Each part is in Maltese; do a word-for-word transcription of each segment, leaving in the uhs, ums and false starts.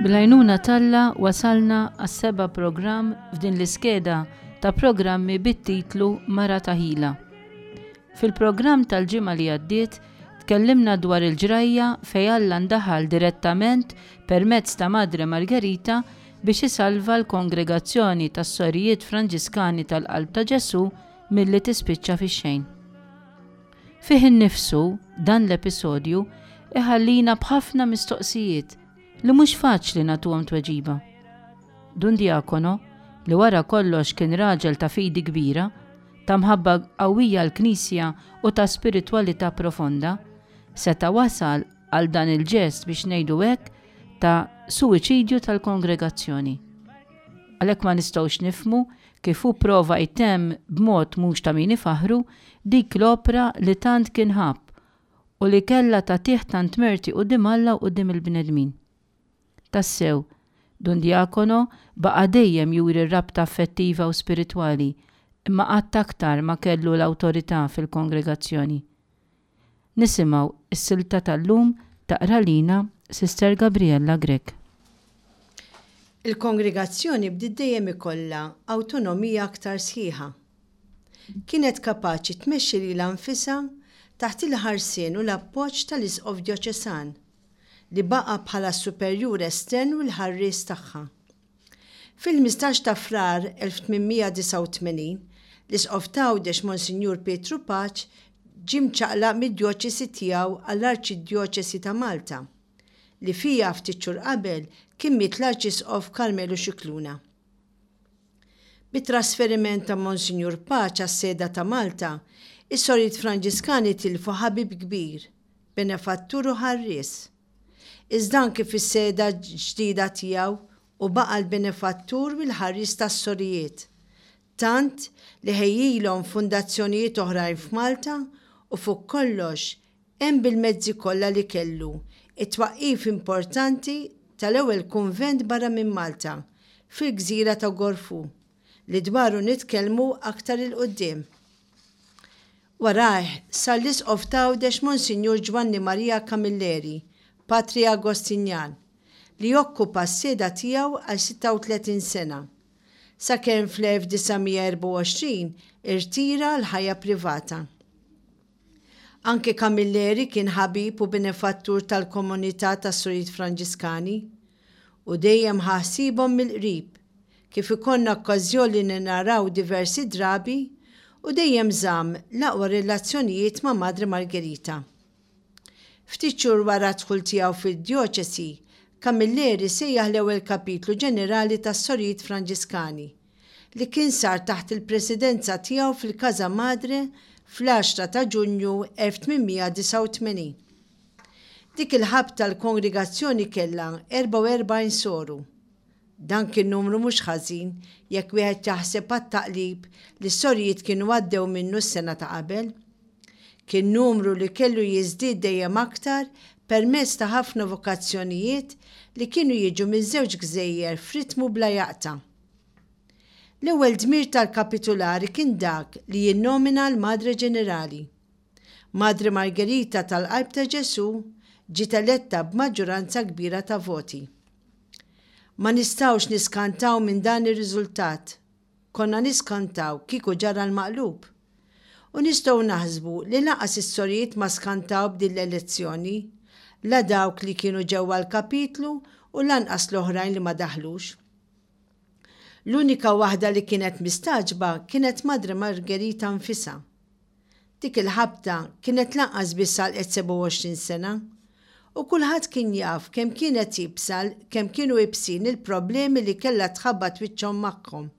Bil-għajnuna t'Alla wasalna għas-seba' programm f'din l-iskeda ta' programmi bit-titlu Mara ta' Ħila. Fil-programm tal-ġimgħa li għaddiet tkellimna dwar il-ġrajja fejn Alla ndaħal direttament permezz ta' Madre Margherita biex isalva l-Kongregazzjoni tas-Sorijiet Franġiskani tal-Qalb ta' Ġesù milli tispiċċa fix-xejn. Fih innifsu dan l-episodju iħallina b'ħafna mistoqsijiet li mhux faċli nagħtuhom tweġiba. Dun Diacono, li wara kollox kien raġel ta' fidi kbira, ta' mħabba qawwija l-Knisja u ta' spiritwalità profonda, seta' wasal għal dan il-ġest biex ngħidu hekk ta' suwiċidju tal-kongregazzjoni. Għalhekk ma nistgħux nifhmu kif hu prova jtemm b'mod mhux ta' min ifaħru dik l-opra li tant kien ħabb u li kellha tagħtih tant merti quddiem Alla u quddiem il-bnedmin. Tassew, Dun Diacono baqa' dejjem juri r-rabta affettiva u spiritwali, imma qatt aktar ma kellu l-awtorità fil-kongregazzjoni. Nisimgħu is-silta tal-lum taqra lina Sister Gabriella Grech. Il-kongregazzjoni bdiet dejjem ikollha awtonomija aktar sħiħa. Kienet kapaċi tmexxi lilha nfisha taħt il-ħarsien u l-appoġġ tal-Isqof Djoċesan, li baqa' bħala superjur estern u l-ħarries tagħha. Fil-ħmistax ta' Frar elf tmien mija disgħa u tmenin, l-Isqof t'Għawdex Monsinjur Pietru Pace ġie mċaqlaq mid-djoċesi tiegħu għall-Arċidjoċesi ta' Malta, li fija ftit xhur qabel kien miet l-Arċisqof Carmelo Scicluna. Bit-trasferiment ta' Monsinjur Pace għas-seda ta' Malta, is-Sorijiet Franġiskani tilfu ħabib kbir, benefattur u ħarries. Iżda anki fis-seda ġdida tiegħu u baqa' l-benefattur u l-ħarries tas-sorijiet, tant li ħejjilhom fundazzjonijiet oħrajn f'Malta u fuq kollox hemm bil-mezzi kollha li kellu it-twaqqif importanti tal-ewwel kunvent barra minn Malta fil-gżira ta' Gorfu, li dwaru nitkellmu aktar 'il quddiem. Warajh sar l-Isqof t'Għawdex Monsinjur Ġwanni Maria Camilleri, Patri Agostinjan, li okkupa s-seda tiegħu għal sitta u tletin sena, sakemm fl-elf disa' mija erbgħa u għoxrin irtira l-ħajja privata. Anke Camilleri kien ħabib u benefattur tal-komunità tas-Sorijiet Franġiskani u dejjem ħasibhom mill-qrib, kif ikollna okkażjoni li naraw diversi drabi, u dejjem żamm l-aqwa relazzjonijiet ma' Madre Margherita. Ftit xhur wara d-dħul tiegħu fid-djoċesi, Camilleri sejjaħ l-ewwel kapitlu ġenerali tas-Sorijiet Franġiskani, li kien sar taħt il-presidenza tiegħu fil-Casa Madre fl-għaxra ta' Ġunju elf tmien mija disgħa u tmenin. Dik il-ħabta l-kongregazzjoni kellha erbgħa u erbgħin soru. Dan kien numru mhux ħażin jekk wieħed jaħseb għat-taqlib li s-sorijiet kienu għaddew minnu s-sena ta' qabel. Kien numru li kellu jiżdied dejjem aktar permezz ta' ħafna vokazzjonijiet li kienu jiġu minn żewġ gżejjer f'ritmu bla jaqta'. L-ewwel dmir tal-kapitulari kien dak li jinnomina l-Madre Ġenerali. Madre Margherita tal-Qalb ta' Ġesù ġiet eletta b'maġġoranza kbira ta' voti. Ma nistgħux niskantaw minn dan ir-riżultat. Konna niskantaw kieku ġara l-maqlub. U nistgħu naħsbu li lanqas is-sorijiet ma skantaw b'din l-elezzjoni, la dawk li kienu ġewwa l-kapitlu u lanqas l-oħrajn li ma daħlux. L-unika waħda li kienet mistaġba kienet Madre Margherita nfisha. Dik il-ħabta kienet lanqas biss għalqet sebgħa u għoxrin sena, u kulħadd kien jaf kemm kienet jibsal, kemm kienu ibsin il-problemi li kellha tħabbat wiċċhom magħhom.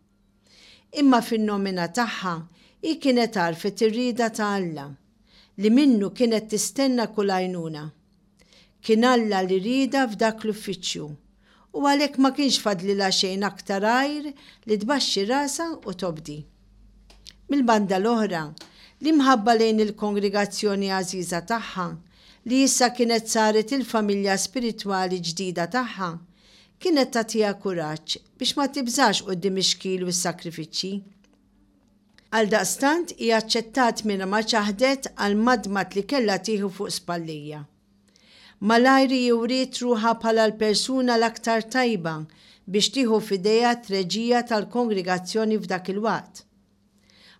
Imma fin-nomina tagħha hi kienet għarfet ir-rieda ta' Alla, li minnu kienet tistenna kull għajnuna. Kien Alla li rieda f'dak l-uffiċċju, u għalhekk ma kienx fadlilha xejn aktar għajr li tbaxxi rasha u tobdi. Mill-banda l-oħra, l-imħabba lejn il-kongregazzjoni għażiża tagħha, li issa kienet saret il-familja spiritwali ġdida tagħha, kienet tagħtiha kuraġġ biex ma tibżax quddiem ix-xkil u s-sakrifiċċji. Għaldaqstant hi aċċettat minn ma ċaħdet għal madmat li kellha tieħu fuq spallija. Malajr hi wriet ruħha bħala l-persuna l-aktar tajba biex tieħu f'idejha t-treġija tal-kongregazzjoni f'dak il-waqt.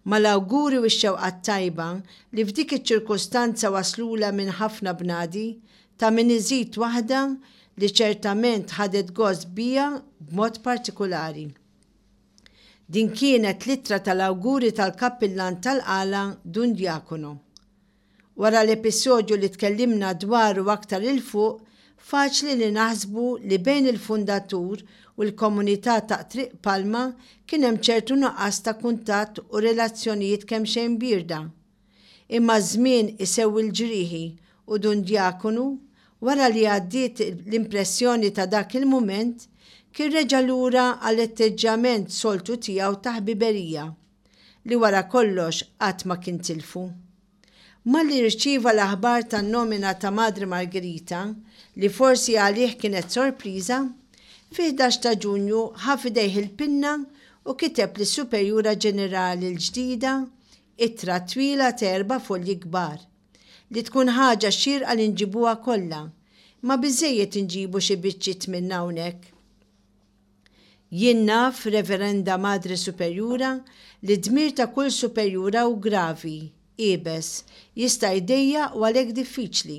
Mal-awguri u x-xewqat tajba li f'dik iċ-ċirkustanza waslulha minn ħafna bnadi, ta' min iżid waħda li ċertament ħadet gost biha b'mod partikulari. Din kienet l-ittra tal-awguri tal-kappillan tal-Qala Dun Diacono. Wara l-episodju li tkellimna dwaru aktar 'il fuq, faċli li naħsbu li bejn il-fundatur u l-komunità ta' Triq Palma kien hemm ċertu nuqqas ta' kuntatt u relazzjonijiet kemxejn bierda. Imma ż-żmien isewwi l-ġrieħi u Dun Diakonu, wara li għaddiet l-impressjoni ta' dak il-mument, kien reġa' lura għall-atteġġjament soltu tiegħu ta' ħbiberija, li wara kollox qatt ma kien tilfu. Malli rċieva l-aħbar tan-nomina ta' Madre Margherita, li forsi għalih kienet sorpriża, fi ħdax ta' Ġunju ħa f'idejh il-pinna u kiteb lis-Superjura Ġenerali l-ġdida ittra twila ta' erba' folji kbar, li tkun ħaġa xierqa li nġibuha kollha, imma biżżejjed inġibu xi biċċiet minnha hawnhekk. Jien naf, Reverenda Madre Superjura, li d-dmir ta' kull superjura hu gravi, iebes, jista' jdejjaq u għalhekk diffiċli.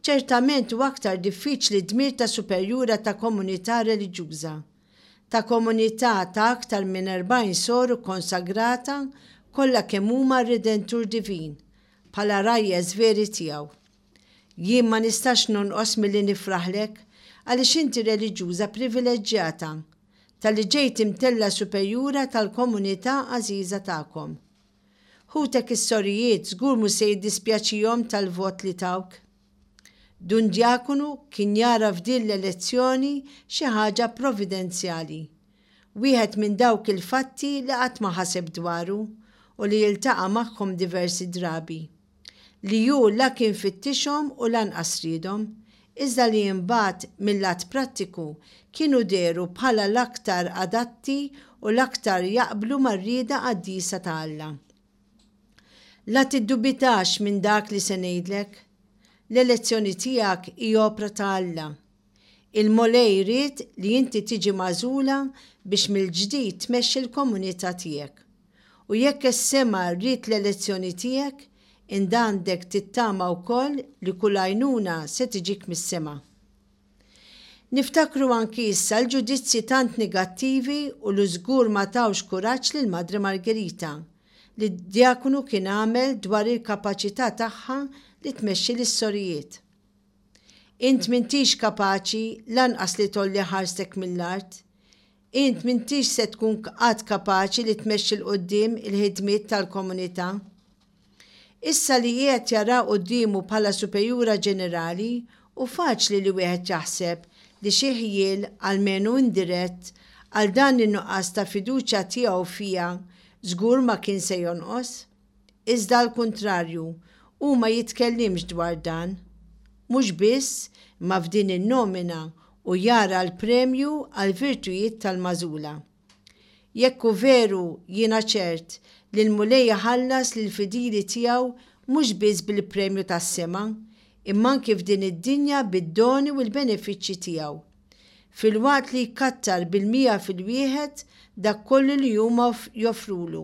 Ċertament hu aktar diffiċli d-dmir ta' superjura ta' komunità reliġjuża, ta' komunità ta' aktar minn erbgħin soru kkonsagrata kollha kemm huma għar-Redentur Divin, bħala rgħajjes veri tiegħu. Jien ma nistax nonqos milli nifraħlek għaliex inti reliġjuża privileġġjata talli ġejt imtellgħa superjura tal-komunità għażiża tagħkom. Ħutek is-sorijiet żgur mhux se jiddispjaċihom tal-vot li tawk. Dun Djakonu kien jara f'din l-elezzjoni xi ħaġa providenzjali. Wieħed minn dawk il-fatti li qatt ma ħaseb dwaru u li jiltaqa' magħhom diversi drabi. Li hu la kien fittixhom u lanqas riedhom, iżda li imbagħad mil-lat prattiku kienu dehru bħala l-aktar adatti u l-aktar jaqblu mar-rieda qaddisa ta' Alla. La tiddubitax minn dak li se ngħidlek. L-elezzjoni tiegħek hi opra ta' Alla. Il-Mulej ried li inti tiġi magħżula biex mill-ġdid tmexxi l-komunità tiegħek. U jekk is-sema ried l-elezzjoni tiegħek, int għandek tittama wkoll li kull għajnuna se tiġik mis-sema. Niftakru anki issa l-ġudizzji tant negattivi u li żgur ma tawx kuraġġ lil Madre Margherita li d-djakunu kien għamel dwar il-kapaċità tagħha li tmexxi lis-sorijiet. Int m'intix kapaċi lanqas li tgħolli ħarstek mill-art. Int m'intix se tkun qatt kapaċi li tmexxi 'l quddiem il-ħidmiet tal-komunità. Issa li qiegħed jara quddiemu bħala superjura ġenerali, hu faċli li wieħed jaħseb li xi ħjiel, almenu indirett, għal dan in-nuqqas ta' fiduċja tiegħu fiha żgur ma kien se jonqos. Iżda għall-kuntrarju, hu ma jitkellimx dwar dan. Mhux biss, imma f'din in-nomina hu jara l-premju għall-virtujiet tal-magħżula. Jekk hu veru, jiena ċert li l-Mulej iħallas lill-fidili tiegħu mhux biss bil-premju tas-sema, imma anki f'din id-dinja bid-doni u l-benefiċċji tiegħu. Filwaqt li jkattar bil-mija fil-wieħed dak kollu li huma joffrulu.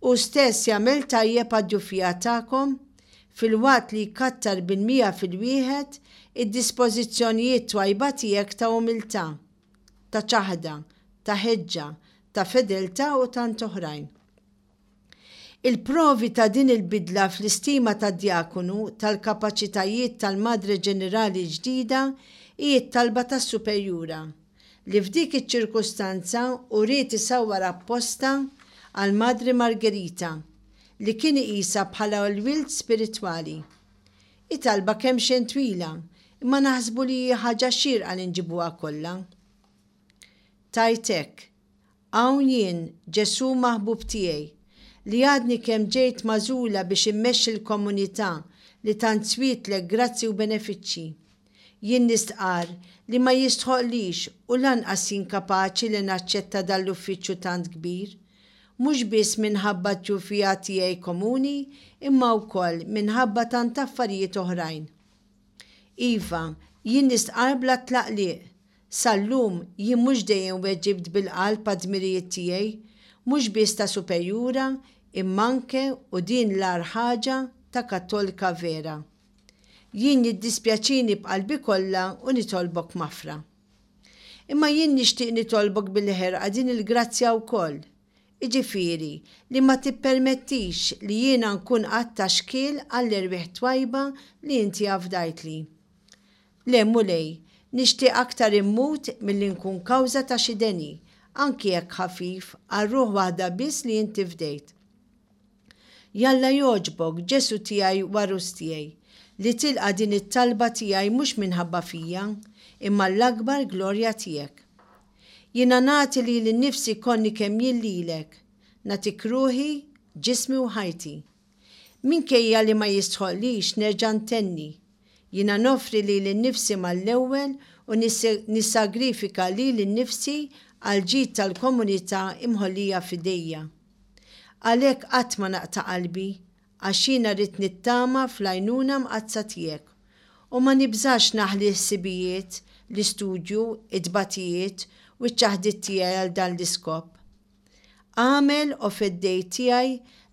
Hu stess jagħmel tajjeb għad-djufija tagħkom, filwaqt li jkattar bil-mija fil-wieħed id-dispożizzjonijiet twajba tiegħek ta' umiltà, ta' ċaħda, ta' ħeġġa, ta' fedeltà u tant oħrajn. Il-provi ta' din il-bidla fl-istima tad-djakonu tal-kapaċitajiet tal-Madre Ġenerali ġdida hi t-talba tas-superjura, li f'dik iċ-ċirkustanza uriet isawwar apposta għal Madre Margherita, li kien iqisha bħala l-wild spiritwali. Hi talba kemxejn twila, imma naħsbu li hi ħaġa xierqa li nġibuha kollha. Tgħid hekk, Hawn jien, Ġesù maħbub tiegħi, li għadni kemm ġejt magħżula biex immexxi l-komunità li tant swietlek grazzi u benefiċċji. Jien nistqarr li ma jistħoqlix u lanqas jien kapaċi li naċċetta dan l-uffiċċju tant kbir, mhux biss minħabba t-tjufija tiegħi komuni imma wkoll minħabba tant affarijiet oħrajn. Iva, jien nistqarr bla tlaqliq. Sal-lum jien mhux dejjem weġibt bil-qalb għad-dmirijiet tiegħi, mhux biss ta' superjura, imma anke u din l-agħar ħaġa ta' Kattolika vera. Jien jiddispjaċini b'qalbi kollha u nitolbok maħfra. Imma jien nixtieq nitolbok bil-ħerqa din il-grazzja wkoll. Jiġifieri li ma tippermettix li jiena nkun qatt ta' xkiel għall-erwieħ twajba li inti afdajtli. Le Mulej, nixtieq aktar immut milli nkun kawża ta' xi deni, anki jekk ħafif, għal ruħ waħda biss li inti fdejt. Jalla jogħġbok, Ġesù tiegħi u għarus tiegħi, li tilqa' din it-talba tiegħi mhux minħabba fija, imma l-akbar glorja tiegħek. Jiena nagħti lili nnifsi konni kemm jien lilek, nagħtik ruħi, ġismi u ħajti. Minkejja li ma jistħoqlix nerġa' ntenni, jiena noffri lili nnifsi mal-ewwel u nissagrifika lili nnifsi għall-ġid tal-komunità imħollija f'idejja. Għalhekk qatt ma naqta' qalbi, għax jiena rrid nittama fl-għajnuna mqaddsa tiegħek. U ma nibżax naħli l-ħsibijiet, l-istudju, it-tbatijiet u ċ-ċaħdiet tiegħi għal dan l-iskop. Agħmel o Feddej tiegħi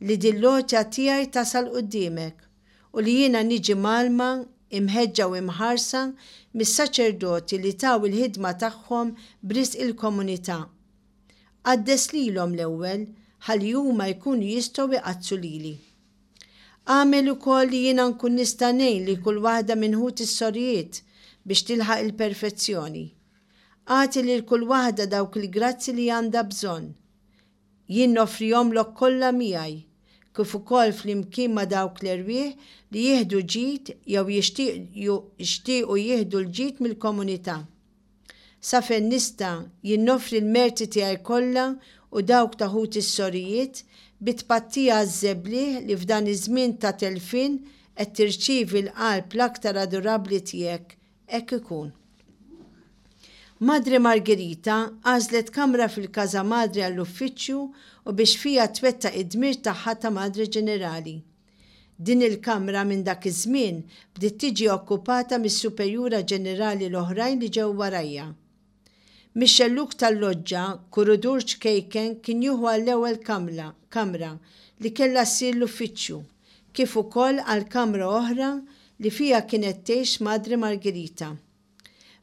li din l-għotja tiegħi tasal quddiemek u li jiena niġi mgħallma, imħeġġa u imħarsa mis-saċerdoti li taw il-ħidma tagħhom b'risq il-komunità. Qaddes lilhom l-ewwel ħalli huma jkunu jistgħu jqaddsu lili. Agħmel ukoll li jiena nkun nista' ngħin lil kull waħda minn ħuti s-sorijiet biex tilħaq il-perfezzjoni. Agħti lil kull waħda dawk il-grazzi li għandha bżonn. Jien noffrihomlok kollha miegħi, kif ukoll flimkien ma' dawk l-erwieħ li jieħdu ġid jew jixtiequ jieħdu l-ġid mill-komunità. Sa fejn nista' jien noffri l-merti tiegħi kollha u dawk ta' ħuti s-sorijiet bi tpattija għaż-żebliħ li f'dan iż-żmien ta' telfien qed tirċievi l-qalb l-aktar adorabbli tiegħek, hekk ikun. Madre Margherita għażlet kamra fil-Casa Madre għall-uffiċċju u biex fiha twettaq id-dmir tagħha ta' Madre Ġenerali. Din il-kamra minn dak iż-żmien bdiet tiġi okkupata mis-Superjura Ġenerali l-oħrajn li ġew warajja. Mix-xellug tal-loġġa, kuridur ċkejken kien jieħu għall-ewwel kamra, kamra li kellha ssir l-uffiċċju, kif ukoll għal kamra oħra li fiha kienet tgħix Madre Margherita.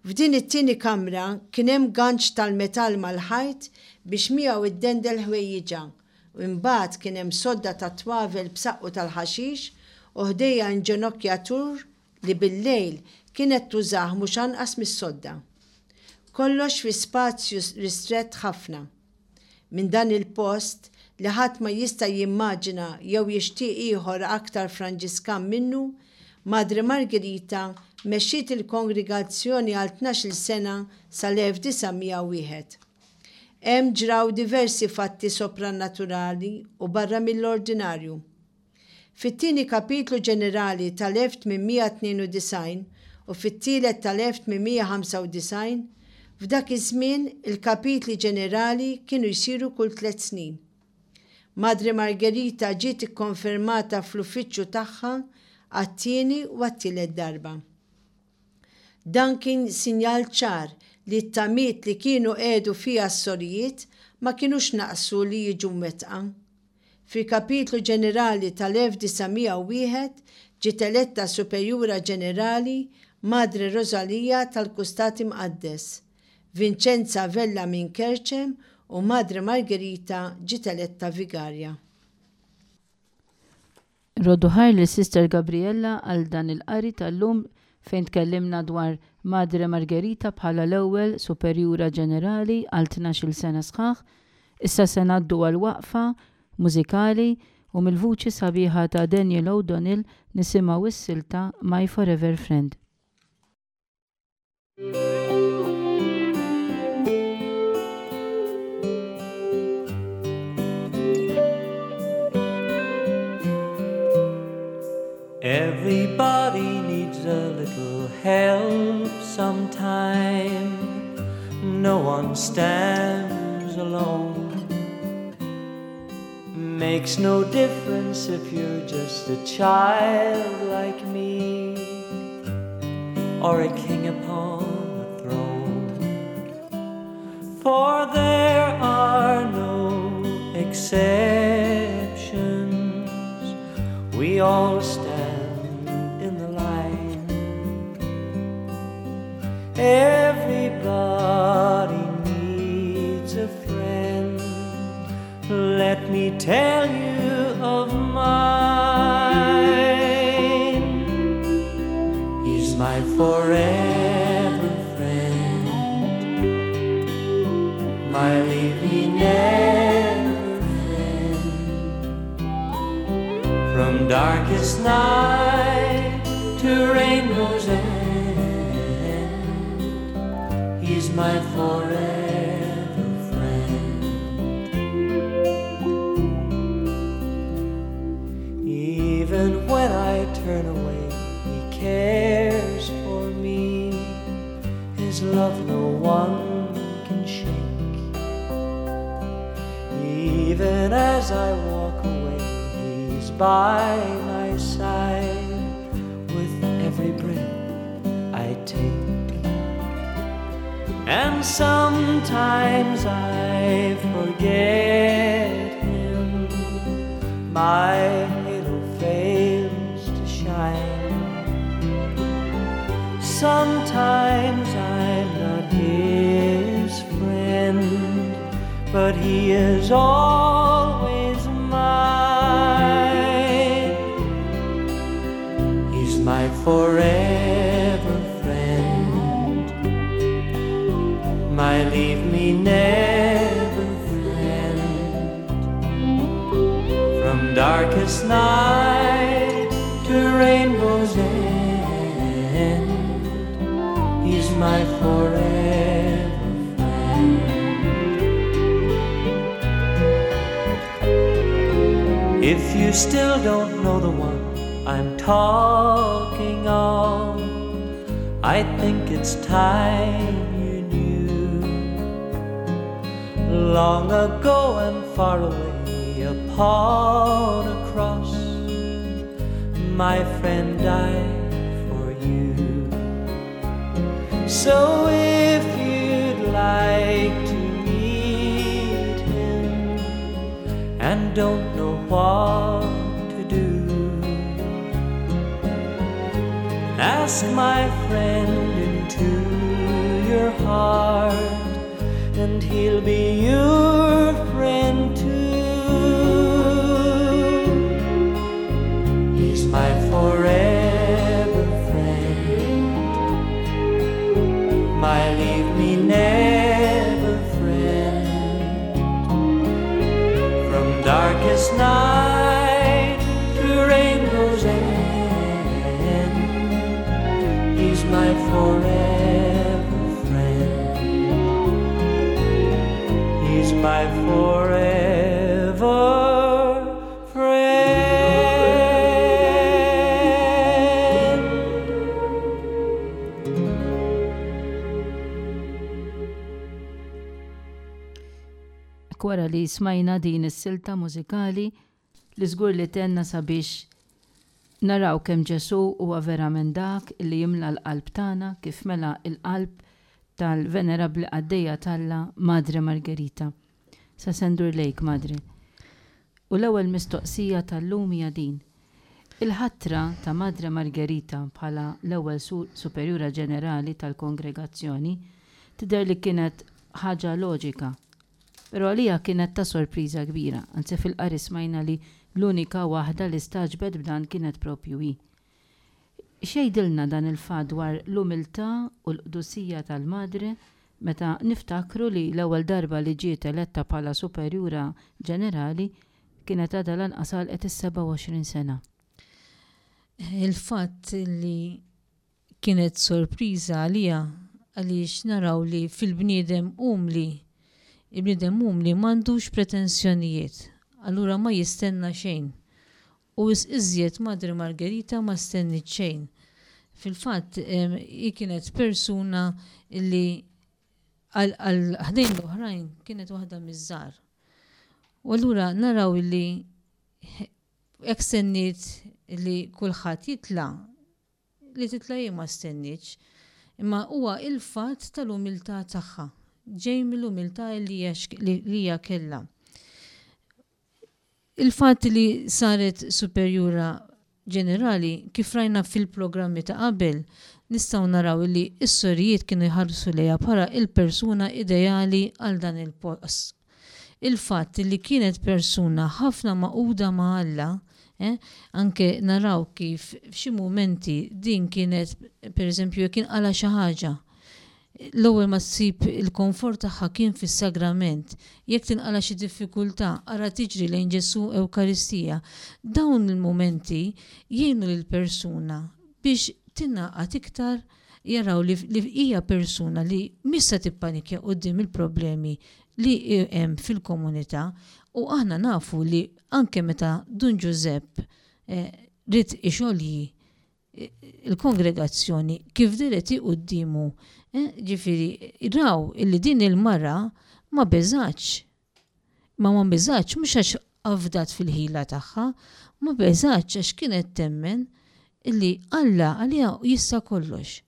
F'din it-tieni kamra kien hemm ganċ tal-metall mal-ħajt biex miegħu iddendel ħwejjiġha, u imbagħad kien hemm sodda ta' twavel b'saqqu tal-ħaxix u ħdejha inġenokjatur li bil-lejl kienet tużah mhux anqas mis-sodda. Kollox fi spazju ristrett ħafna. Minn dan il-post li ħadd ma jista' jimmaġina jew jixtieq ieħor aktar Franġiskan minnu, Madre Margherita mexxiet il-kongregazzjoni għal tnax-il sena sal-elf disa' mija u wieħed. Hemm ġraw diversi fatti soprannaturali u barra mill-ordinarju. Fit-tieni kapitlu ġenerali tal-elf tmien mija tnejn u disgħin u fit-tielet tal-elf tmien mija ħamsa u disgħin, f'dak iż-żmien il-kapitli ġenerali kienu jsiru kull tliet snin. Madre Margherita ġiet ikkonfermata fl-uffiċċju tagħha għat-tieni u għat-tielet darba. Dan kien sinjal ċar li t-tamiet li kienu qiegħdu fiha s-sorijiet ma kinux naqsu li jiġu mwettqa. Fil-kapitlu ġenerali tal-elf disa' mija u wieħed ġiet eletta Superjura Ġenerali Madre Rosalia tal-Kustat Imqaddes, Vincenza Vella minn Kerċem u Madre Margherita ġiet eletta Vigarja. Roddu ħajr lil Sister Gabriella għal dan il-qari tal-lum fejn tkellimna dwar Madre Margherita bħala l-ewwel Superjura Ġenerali għal tnax-il sena sħaħ. Issa se ngħaddu għal waqfa mużikali u mill-vuċi sabiħa ta' Daniel O'Donnell nisimgħu s-silta My Forever Friend. Everybody needs a little help sometime. No one stands alone. Makes no difference if you're just a child like me or a king upon a throne. For there are no exceptions, we all stand in the line. Everybody needs a friend. Let me tell you of mine. He's my forever friend, my leave me never friend. From darkest night to rainbow's end, he's my forever friend. Even when I turn away, he cares for me. His love no one can shake. Even as I walk away, he's by my side with every breath I take. And sometimes I forget him, my halo fails to shine. Sometimes I'm not his friend, but he is always mine. He's my forever friend, my leave me never friend. From darkest night to rainbow's end, he's my forever friend. If you still don't know the one I'm talking of, I think it's time you knew. Long ago and far away upon a cross, my friend died for you. So if you'd like to meet him and don't know what to do, ask my friend into your heart, and he'll be your friend too. He's my forever friend, my leave me never friend. From darkest night to rainbow's end, he's my forever friend. He's my forever friend. Wara li smajna din is-silta mużikali li żgur li tenna sabiex naraw kemm Ġesù huwa verament dak li jimla l-qalb tagħna kif mela l-qalb tal-Venerabbli Qaddejja t'Alla Madre Margherita. Sa sendur lejk, Madre. U l-ewwel mistoqsija tal-lum hija din. Il-ħatra ta' Madre Margherita bħala l-ewwel Superjura Ġenerali tal-Kongregazzjoni tidher li kienet ħaġa loġika. Però għalija kienet ta' sorpriża kbira, anzi fil-qari smajna li l-unika waħda li staġbet b'dan kienet propju hi. X'jgħidilna dan il-fatt dwar l-umiltà u l-qdusija tal-Madre meta niftakru li l-ewwel darba li ġiet eletta bħala Superjura Ġenerali kienet għadha lanqas għalqet is-sebgħa u għoxrin sena. Il-fatt li kienet sorpriża għalija għaliex naraw li fil-bniedem umli, il-bniedem umli m'għandux pretensjonijiet, allura ma jistenna xejn. U iżjed Madre Margherita ma stennit xejn. Fil-fatt, hi kienet persuna li għal ħdejn l-oħrajn kienet waħda miż-żgħar. U allura naraw li jekk stenniet li kulħadd jitla', li titla' hi ma stennietx. Imma huwa il-fatt tal-umiltà tagħha, ġej mill-umiltà li hija kellha. Il-fatt li saret superjura ġenerali, kif rajna fil-programmi ta' qabel, nistgħu naraw li s-sorijiet kienu jħarsu lejha bħala il-persuna ideali għal dan il-post. Il-fatt li kienet persuna ħafna magħquda ma' Alla, eh, anke naraw kif f'xi mumenti din kienet, per eżempju, kien qala xi ħaġa, l-ewwel ma ssib il-komfort tagħha kien fis-sagrament. Jekk tinqala xi diffikultà, ara tiġri lejn Ġesù Ewkaristija. Dawn il-mumenti jgħinu lill-persuna biex tingħaqad iktar, jaraw li hija persuna li mhix se tippanikja quddiem il-problemi li hemm fil-komunità. U aħna nafu li anke meta Dun Ġużepp eh, ried ixolji il-kongregazzjoni, kif dehret hi quddiemu, eh, ġifieri raw illi din il-mara ma beżgħetx. Ma ma beżgħetx mhux għax afdat fil-ħila tagħha, ma beżgħetx għax kienet temmen illi Alla għaliha jista' kollox.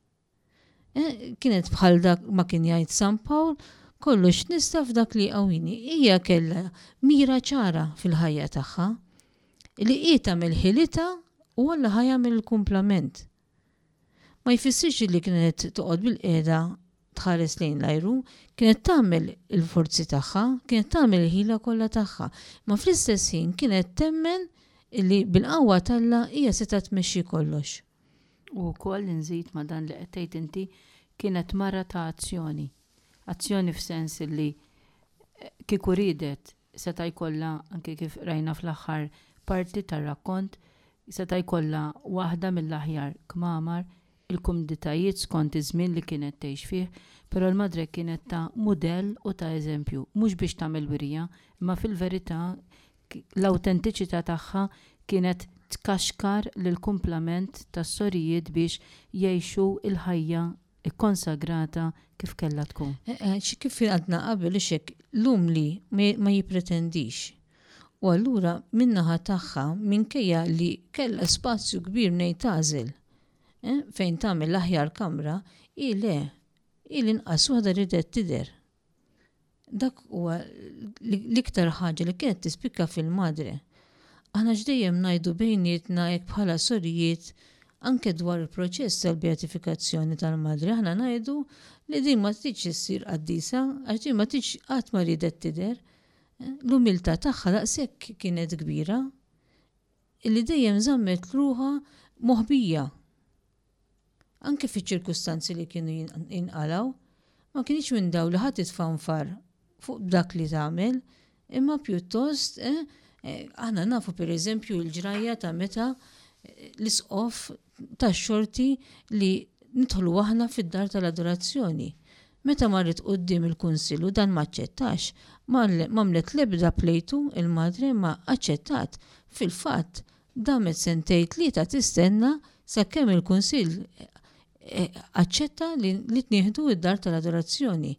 Eh, kienet bħal dak ma kien jgħid San Pawl, kollox nista' f'dak li jqawwini. Hija kellha mira ċara fil-ħajja tagħha li hi tagħmel ħilitha u Alla ħa jagħmel il-kumplament. Ma jfissirx li kienet toqgħod bil-qiegħda tħares lejn l-ajru, kienet tagħmel il-forzi tagħha, kienet tagħmel il-ħila kollha tagħha, ma fl-istess ħin kienet temmen illi bil-qawwa t'Alla hija seta' tmexxi kollox. U wkoll inżid ma' dan li qed tgħid inti, kienet mara ta' azzjoni. Azzjoni f'sens li eh, kieku riedet seta' jkollha, anke kif rajna fl-aħħar parti tar-rakkont, seta' jkollha waħda mill-aħjar kmamar, il-kumditajiet skont iż-żmien li kienet tgħix fih, però l-madre kienet ta' mudell u ta' eżempju, mhux biex tagħmel wirja, imma fil-verità l-awtentiċità tagħha kienet tkaxkar lill-kumplament tas-sorijiet biex jgħixu il-ħajja ikkonsagrata kif kellha tkun. Eh, eh, kif għadna qabel, ixek l-umli ma jipretendix. U allura min-naħa tagħha, minkejja li kellha spazju kbir mnejn tagħżel, eh, fejn tagħmel l-aħjar kamra, hi le, hi l-inqas waħda ridet tidher. Dak huwa l-iktar ħaġa li kienet tispikka fil-madre. Aħna x'dejjem ngħidu bejnietna hekk bħala sorijiet, anke dwar il-proċess tal-beatifikazzjoni tal-madre, aħna ngħidu li din ma tridx issir qaddisa, għax din ma tridx, qatt ma ridet tidher. L-umiltà tagħha daqshekk kienet kbira illi dejjem żammet ruħha moħbija. Anke fiċ-ċirkustanzi li kienu jinqalaw, ma kienx minn daw li ħadd tfanfar fuq dak li tagħmel, imma pjuttost eh, eh, aħna nafu per eżempju l-ġrajja ta' meta eh, l-isqof tax-xorti li nidħlu aħna fid-dar tal-adorazzjoni. Meta marret quddiem il-kunsill u dan ma aċċettax, m'għamlet l-ebda plejtu il-madre, ma aċċettat. Fil-fatt, damet sentejn tlieta tistenna sakemm il-kunsill eh, aċċetta li, li tnieħdu id-dar tal-adorazzjoni.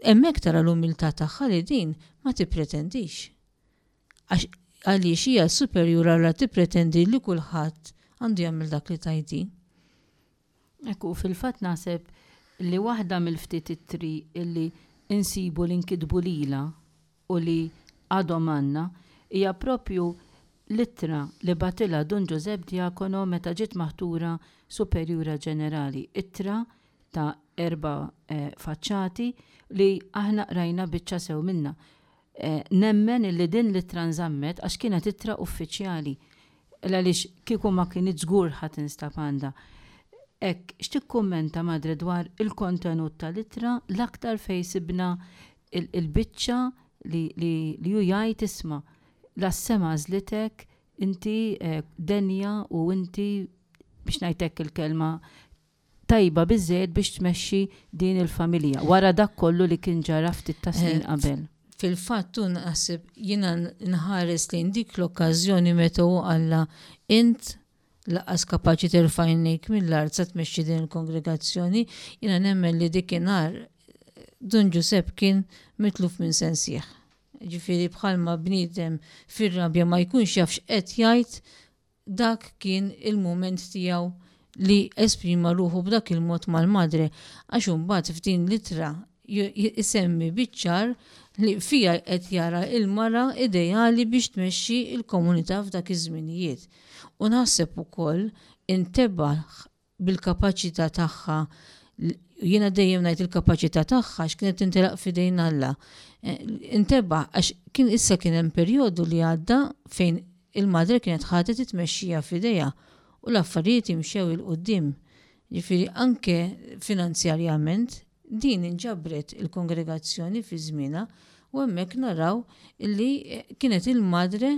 Hemmhekk tara l-umiltà tagħha li din ma tippretendix. Għaliex hija superjura la tippretendi li kulħadd għandu jagħmel dak li tajti. Ekku, fil-fatt naħseb li waħda mill-ftit ittri illi insibu li nkitbu lila u li għadhom għandna hija propju l-ittra li bagħtilha Dun Ġużepp Diacono meta ġiet maħtura superjura ġenerali. Ittra ta' erba' eh, faċċati li aħna qrajna biċċa sew minna. Eh, nemmen illi din l-ittra nżammet għax kienet ittra uffiċjali. Għaliex kieku ma kienet żgur ħadd instab għandha. Ek, x'tikkummenta madre dwar il-kontenut tal-ittra, l-aktar fej sibna il-biċċa li, li, li ju jgħid isma' la s-sema għażlitek, inti eh, denja u inti, biex ngħidlek il-kelma, tajba biżżejjed biex tmexxi din il-familja wara dak kollu li kien ġara ftit ta' snin eh, qabel. Fil-fatt naħseb jiena nħares lejn dik l-okkażjoni meta hu qalla int laqas kapaċi terfa' għajnejk mill-art sa tmexxi din il-kongregazzjoni, jiena nemmen li dikinhar Dun Ġusepp kien mitluf minn sensieħ. Ġifieri bħalma bniedem fir-rabja ma jkunx jaf x'qed jgħid, dak kien il-mument tiegħu li esprima ruħu b'dak il-mod mal-madre, għax imbagħad f'din l-ittra isemmi biċ-ċar li fija qed jara il-mara ideali biex tmexxi il-komunità f'dak iż-żminijiet. U naħseb ukoll intebaħ bil-kapaċità tagħha, jiena dejjem ngħid il-kapaċità tagħha għax kienet tintelaq f'idejn Alla. Intebaħ għax kien issa kien hemm perjodu li għadda fejn il-madre kienet ħadet it-tmexxija f'idejha u l-affarijiet imxew 'il quddiem. Ġifieri anke finanzjarjament din inġabret il-kongregazzjoni fi żmienha u hemmhekk naraw li kienet il-madre,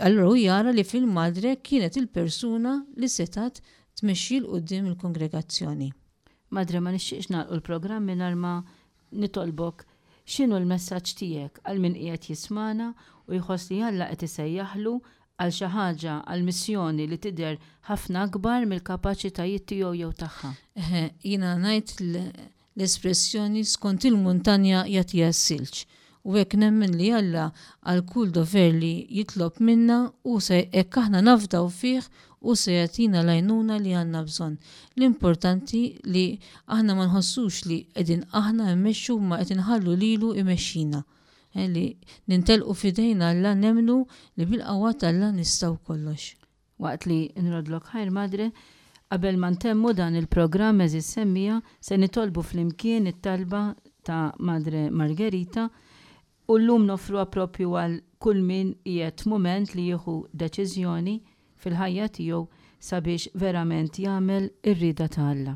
allura hu jara li fil-madre kienet il-persuna li setat tmexxi 'l quddiem il-kongregazzjoni. Madre, ma nixtieqx nagħlqu l-programm mingħajr ma nitolbok x'inhu l-messaġġ tiegħek għal min qiegħed jismana u jħoss li Alla qed isejjaħlu għal xi ħaġa, għal missjoni li tidher ħafna akbar mill-kapaċitajiet tiegħu jew tagħha. Eħe, jiena ngħid l-espressjoni skont il-muntanja jagħtiha s-silġ. U hekk nemmen li Alla għal kull dover li jitlob minna u se hekk aħna nafdaw fih u se jagħtina l-għajnuna li għandna bżonn. L-importanti li aħna ma nħossux li qegħdin aħna mmexxu ma qed inħallu lilu imexxina. Eh, li nintelqu f'idejn Alla, nemmnu li bil-qawwa t'Alla nistgħu kollox. Waqt li nrodlok ħajr, Madre, qabel ma ntemmu dan il-programm, għeżież semmiegħa, se nitolbu flimkien it-talba ta' Madre Margherita u llum noffruha propju għal kull min qiegħed mument li jieħu deċiżjoni fil-ħajja tiegħu sabiex verament jagħmel ir-rieda ta' Alla.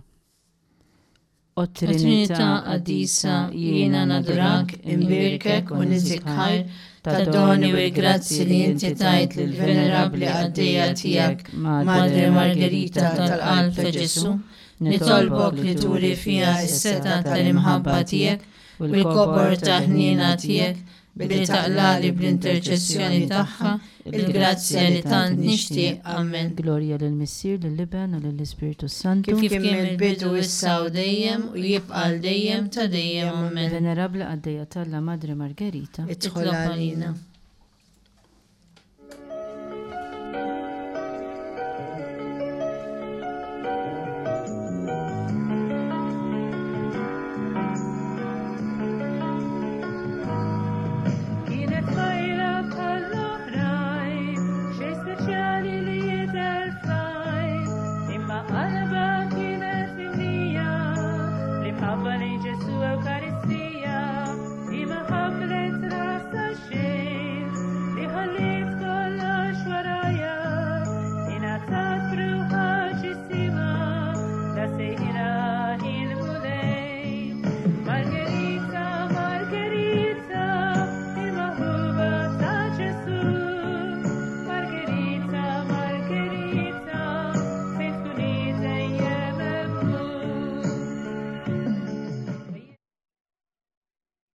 O Trinità Qaddisa, jiena nadurak, imbierkek u niżik ħajr ta' doni u grazzi li inti tajt lill-venerabbli qaddejja tiegħek, Madre Margherita tal-Qalb ta' Ġesù. Nitolbok li turi fija s-setgħa tal-imħabba tiegħek u l-kobor ta' ħniena tiegħek billi taqlagħli bl-interċessjoni tagħha il-grazzja li tant nixtieq. Amen. Glorja lill-Missier, lill-Iben u lill-Ispirtu Santu. Kif kien mill-bidu, issa u dejjem, u jibqa' dejjem ta' dejjem. Amen. Venerabbli qaddejja t'Alla Madre Margherita, Itlob għalina.